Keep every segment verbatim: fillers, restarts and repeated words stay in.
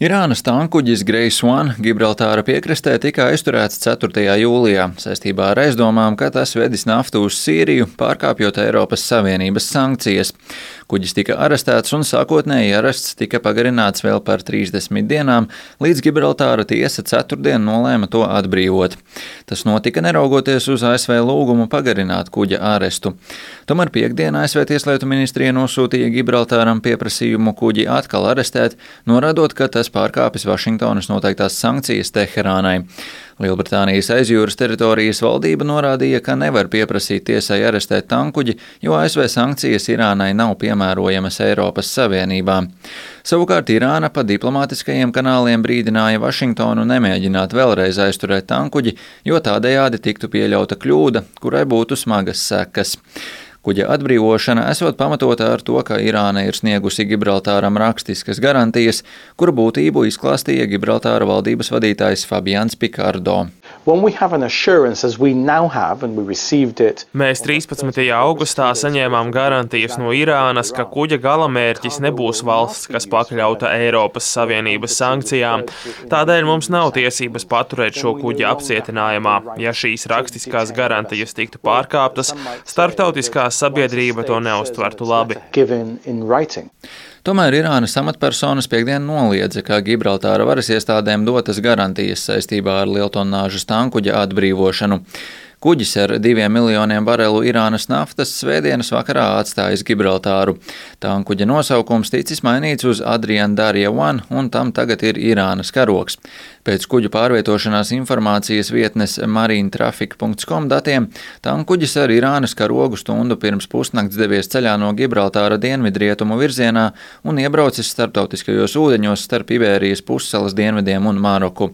Irānas tankuģis Grace One Gibraltāra piekrastē tika aizturēts ceturtajā jūlijā saistībā ar aizdomām, ka tas vedis naftu uz Sīriju, pārkāpjot Eiropas Savienības sankcijas. Kuģis tika arestēts un sākotnēji arests tika pagarināts vēl par trīsdesmit dienām, līdz Gibraltāra tiesa ceturtdien nolēma to atbrīvot. Tas notika neraugoties uz A S V lūgumu pagarināt kuģa arestu. Tomēr piekdien A S V Tieslietu ministrija nosūtīja Gibraltāram pieprasījumu kuģi atkal arestēt, norādot, ka tas pārkāpis Vašingtonas noteiktās sankcijas Teherānai. Lielbritānijas aizjūras teritorijas valdība norādīja, ka nevar pieprasīt tiesai arestēt tankuģi, jo A S V sankcijas Irānai nav piemērojamas Eiropas Savienībā. Savukārt Irāna pa diplomātiskajiem kanāliem brīdināja Vašingtonu nemēģināt vēlreiz aizturēt tankuģi, jo tādējādi tiktu pieļauta kļūda, kurai būtu smagas sekas. Kuģa atbrīvošana esot pamatota ar to, ka Irāna ir sniegusi Gibraltāram rakstiskas garantijas, kuru būtību izklāstīja Gibraltāra valdības vadītājs Fabians Picardo. Mēs trīspadsmitajā augustā saņēmām garantijas no Irānas, ka kuģa galamērķis nebūs valsts, kas pakļauta Eiropas Savienības sankcijām. Tādēļ mums nav tiesības paturēt šo kuģi apcietinājumā. Ja šīs rakstiskās garantijas tiktu pārkāptas, starptautiskā sabiedrība to neuztvertu labi. Tomēr Irānas amatpersonas piekdien noliedza, ka Gibraltāra varas iestādēm dotas garantijas saistībā ar lieltonnāžas tankuģa atbrīvošanu. Kuģis ar diviem miljoniem barelu Irānas naftas svētdienas vakarā atstājis Gibraltāru. Tankuģa nosaukums ticis mainīts uz Adrian Darja One, un tam tagad ir Irānas karogs. Pēc kuģu pārvietošanās informācijas vietnes marinetraffic punkts com datiem, tankuģis ar Irānas karogu stundu pirms pusnakts devies ceļā no Gibraltāra dienvidrietumu virzienā un iebraucis starptautiskajos ūdeņos starp Ibērijas pussalas dienvidiem un Maroku.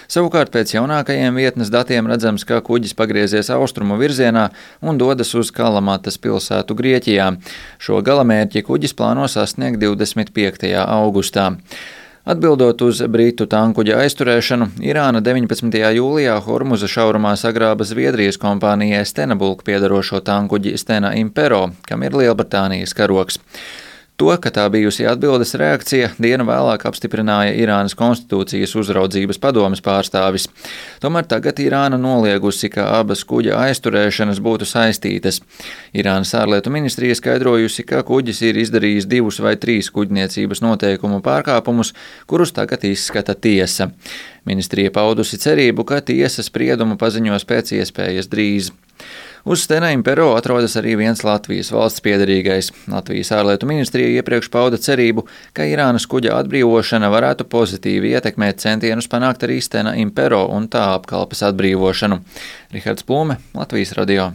Savukārt pēc jaunākajiem vietnes datiem redzams, ka kuģis pagriezies austrumu virzienā un dodas uz Kalamatas pilsētu Grieķijā. Šo galamērķi kuģis plāno sasniegt divdesmit piektajā augustā. Atbildot uz britu tankuģa aizturēšanu, Irāna deviņpadsmitajā jūlijā Hormuza šaurumā sagrāba Zviedrijas kompānijai Stena Bulk piedarošo tankuģi Stena Impero, kam ir Lielbritānijas karogs. To, ka tā bijusi atbildes reakcija, dienu vēlāk apstiprināja Irānas konstitūcijas uzraudzības padomes pārstāvis. Tomēr tagad Irāna noliegusi, ka abas kuģa aizturēšanas būtu saistītas. Irānas ārlietu ministrija skaidrojusi, ka kuģis ir izdarījis divus vai trīs kuģniecības noteikumu pārkāpumus, kurus tagad izskata tiesa. Ministrija paudusi cerību, ka tiesa spriedumu paziņos pēc iespējas drīz. Uz Stena Impero atrodas arī viens Latvijas valsts piederīgais. Latvijas ārlietu ministrija iepriekš pauda cerību, ka Irānas kuģa atbrīvošana varētu pozitīvi ietekmēt centienus panākt arī Stena Impero un tā apkalpes atbrīvošanu. Rihards Plume, Latvijas radio.